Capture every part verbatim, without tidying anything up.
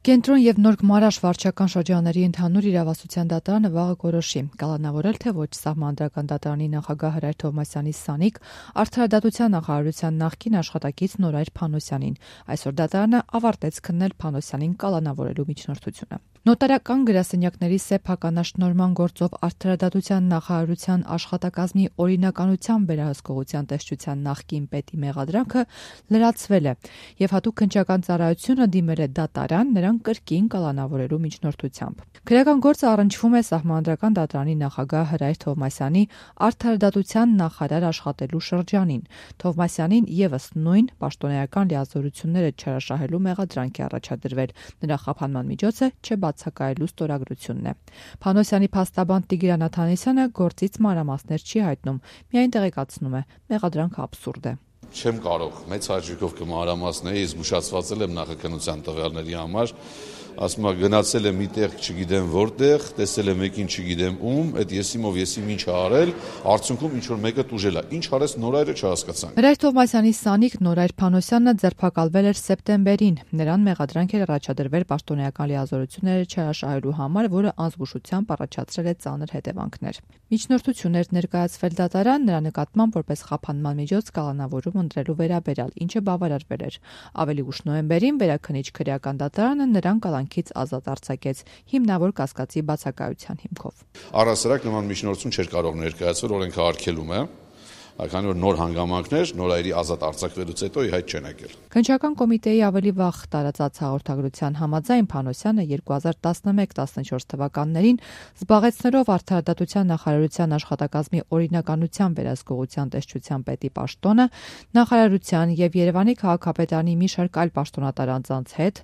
Կենտրոն և Նոր Գմարաշ վարչական շրջանների ընդհանուր իրավասության դատարանը վաղը կորոշի կալանավորել, թե ոչ Սահմանադրական դատարանի նախագահ Հրայր Թովմասյանի սանիկ Արդարադատության նախարարության նախկին աշխատակից Նորայր Փանոսյանին։ Այսօր դատարանը ավարտեց քննել Փանոսյանին կալանավորելու միջնորդությունը։ Նոտարական գրասենյակների սեփականաշնորհման գործով Արդարադատության նախարարության աշխատակազմի օրինականության վերահսկողության տեսչության նախկին պետի մեղադրանքը լրացվել է եւ հատուկ քննչական ծառայությունը դիմել է դատարան նրան կրկին կալանավորելու միջնորդությամբ։ Քրեական գործը առնչվում է Սահմանադրական դատարանի նախագահ Հրայր Թովմասյանի արդարադատության նախարար աշխատելու շրջանին։ Թովմասյանին եւս նույն պաշտոնեական լիազորությունները չարաշահելու մեղադրանք է առաջադրվել։ Նրա խափանման միջոցը չբացակայելու ստորագրությունն է։ Փանոսյանի փաստաբան Տիգրան Աթանեսյանը գործից մանրամասներ չի հայտնում, միայն տեղեկացնում է՝ մեղադրանքը աբսուրդ է։ Չեմ կարող մեծ հաճույքով կմանրամասնեի, զգուշացված եմ նախաքննության տվյալների համար, ասում եմ գնացել եմ մի տեղ, չգիտեմ որտեղ, տեսել եմ մեկին, չգիտեմ ում, այդ եսիմով եսիմ ինչ ա արել, արդյունքում ինչ որ մեկը տուժել է։ Ինչ արեց Նորայրը չհասկացանք։ Հրայր Թովմասյանի սանիկ Նորայր Փանոսյանը ձերբակալվել էր սեպտեմբերին։ Նրան մեղադրանք էր առաջադրվել պաշտոնեական լիազորությունները չարաշահելու համար, որը անզգուշությամբ առաջացրել է ծանր հետևանքներ։ Միջնորդություն էր ներկայացվել դատարան նրա նկատմամբ որպես խափանման միջոց կալանավորում ընտրելու վերաբերյալ, ինչը բավարարվել էր։ Ավելի ուշ նոյեմբերին վերաքննիչ քրեական դատարանը նրան կալանքից ազատ արձակեց հիմնավոր կասկածի բացակայության հիմքով։ Առհասարակ նման միջնորդություն չէր կարող ներկայացվել օրենքը արգելում է, քանի որ նոր հանգամանքներ Նորայրի ազատ արձակվելուց հետո ի հայտ չեն եկել։ Քննչական կոմիտեի ավելի վաղ տարածած հաղորդագրության համաձայն Փանոսյանը երկու հազար տասնմեկ տասնչորս թվականներին զբաղեցնելով Արդարադատության նախարարության աշխատակազմի օրինականության վերահսկողության տեսչության պետի պաշտոնը, նախարարության եւ Երևանի քաղաքապետարանի մի շարք այլ պաշտոնատար անձանց հետ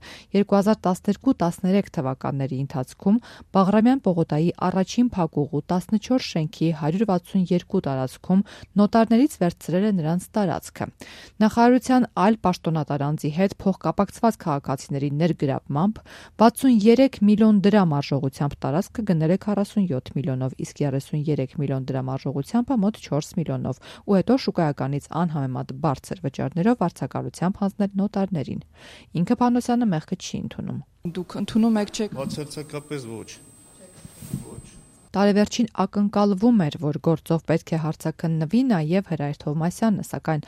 երկու հազար տասներկու տասներեք թվականների ընթացքում Բաղրամյան պողոտայի առաջին փակուղու տասնչորս շենքի հարյուր վաթսունյերկու տարածքում նոտարներից վերցրել է նրանց տարածքը։ Նախարարության այլ պաշտոնատար անձի հետ փոխկապակցված քաղաքացիների ներգրավմամբ վաթսունյերեք միլիոն դրամ արժողությամբ տարածքը գնել է քառասունյոթ միլիոնով, իսկ երեսունյերեք միլիոն դրամ արժողությամբ մոտ չորս միլիոնով ու հետո շուկայականից անհամեմատ բարձր վճարներով վարձակալությամբ հանձնել նոտարներին։ Ինքը Փանոսյանը մեղքը չի ընդունում։ Դուք ընդունում եք, չէ՞։ Բացարձակապես ոչ։ Տարեվերջին ակնկալվում էր, որ գործով պետք է հարցաքննվի նաև Հրայր Թովմասյանը, սակայն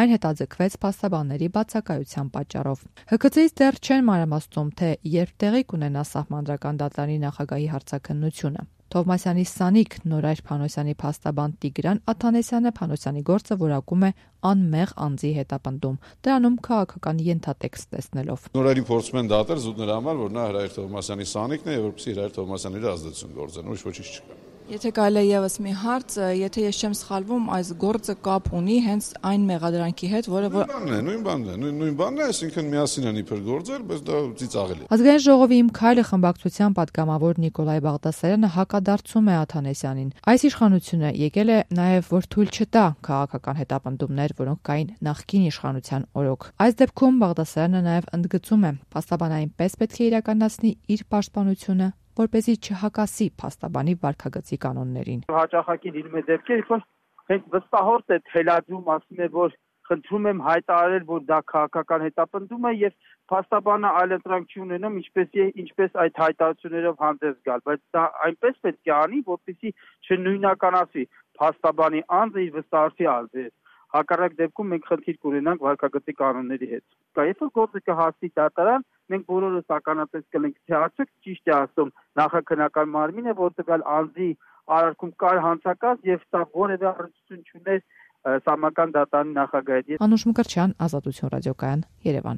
այն հետաձգվեց փաստաբանների բացակայության պատճառով։ Հ K C-ից դեռ չեն մանրամասնում, թե երբ տեղի կունենա Սահմանադրական դատարանի նախագահի հարցաքննությունը։ Թովմասյանի սանիկ Նորայր Փանոսյանի փաստաբան Տիգրան Աթանեսյանը Փանոսյանի գործը որակում է անմեղ անձի հետապնդում, դրանում քաղաքական ենթատեքստ տեսնելով։ Նորայրին փորձում են դատել զուտ նրա համար, որ նա Հրայր Թովմասյանի սանիկն է, եւ որպեսզի Հրայր Թովմասյանի վրա ազդեցություն գործեն, ուրիշ ոչինչ չկա։ Եթե կարելի է եւս մի հարց, եթե ես չեմ սխալվում, այս գործը կապ ունի հենց այն մեղադրանքի հետ, որը որ նույն բանն է, նույն նույն բանն է, այսինքն միասին են իբր գործել, բայց դա ծիծաղելի է։ Ազգային ժողովի Իմ քայլը խմբակցության պատգամավոր Նիկոլայ Բաղդասարյանը հակադարձում է Աթանեսյանին։ Այս իշխանությունը եկել է նաեւ որ թույլ չտա քաղաքական հետապնդումներ, որոնք կային նախկին իշխանության օրոք։ Այս դեպքում Բաղդասարյանը նաեւ ընդգծում է, փաստաբանը այնպես պետք է իրականացնի իր պաշտպանությունը, որպեսզի չհակասի փաստաբանի վարքագծի կանոններին։ Հաճախակի լինում է դեպքեր, որ հենց վստահորդ է թելադրում, ասում է, որ խնդրում եմ հայտարարել, որ դա քաղաքական հետապնդում է եւ փաստաբանը այլընտրանք չի ունենում, ինչպես ինչպես այդ հայտարարություններով հանդես գալ, բայց դա այնպես պետք է անի, որպեսզի չնույնականացվի փաստաբանի անձը իր վստահորդի ազդի։ Հակառակ դեպքում մենք խնդիր կունենանք վարքագծի կանոնների հետ։ Երբ որ գործը կհասնի դատարան, մենք բոլորս ականատես կլինենք, թե արդյոք ճիշտ է ասում նախաքննական մարմինը, որ տվյալ անձի արարքում կար հանցակաց եւ սա որևէ առնչություն չուներ Սահմանադրական դատարանի նախագահի հետ։ Անուշ Մկրտչյան, Ազատություն ռադիոկայան, Երևան։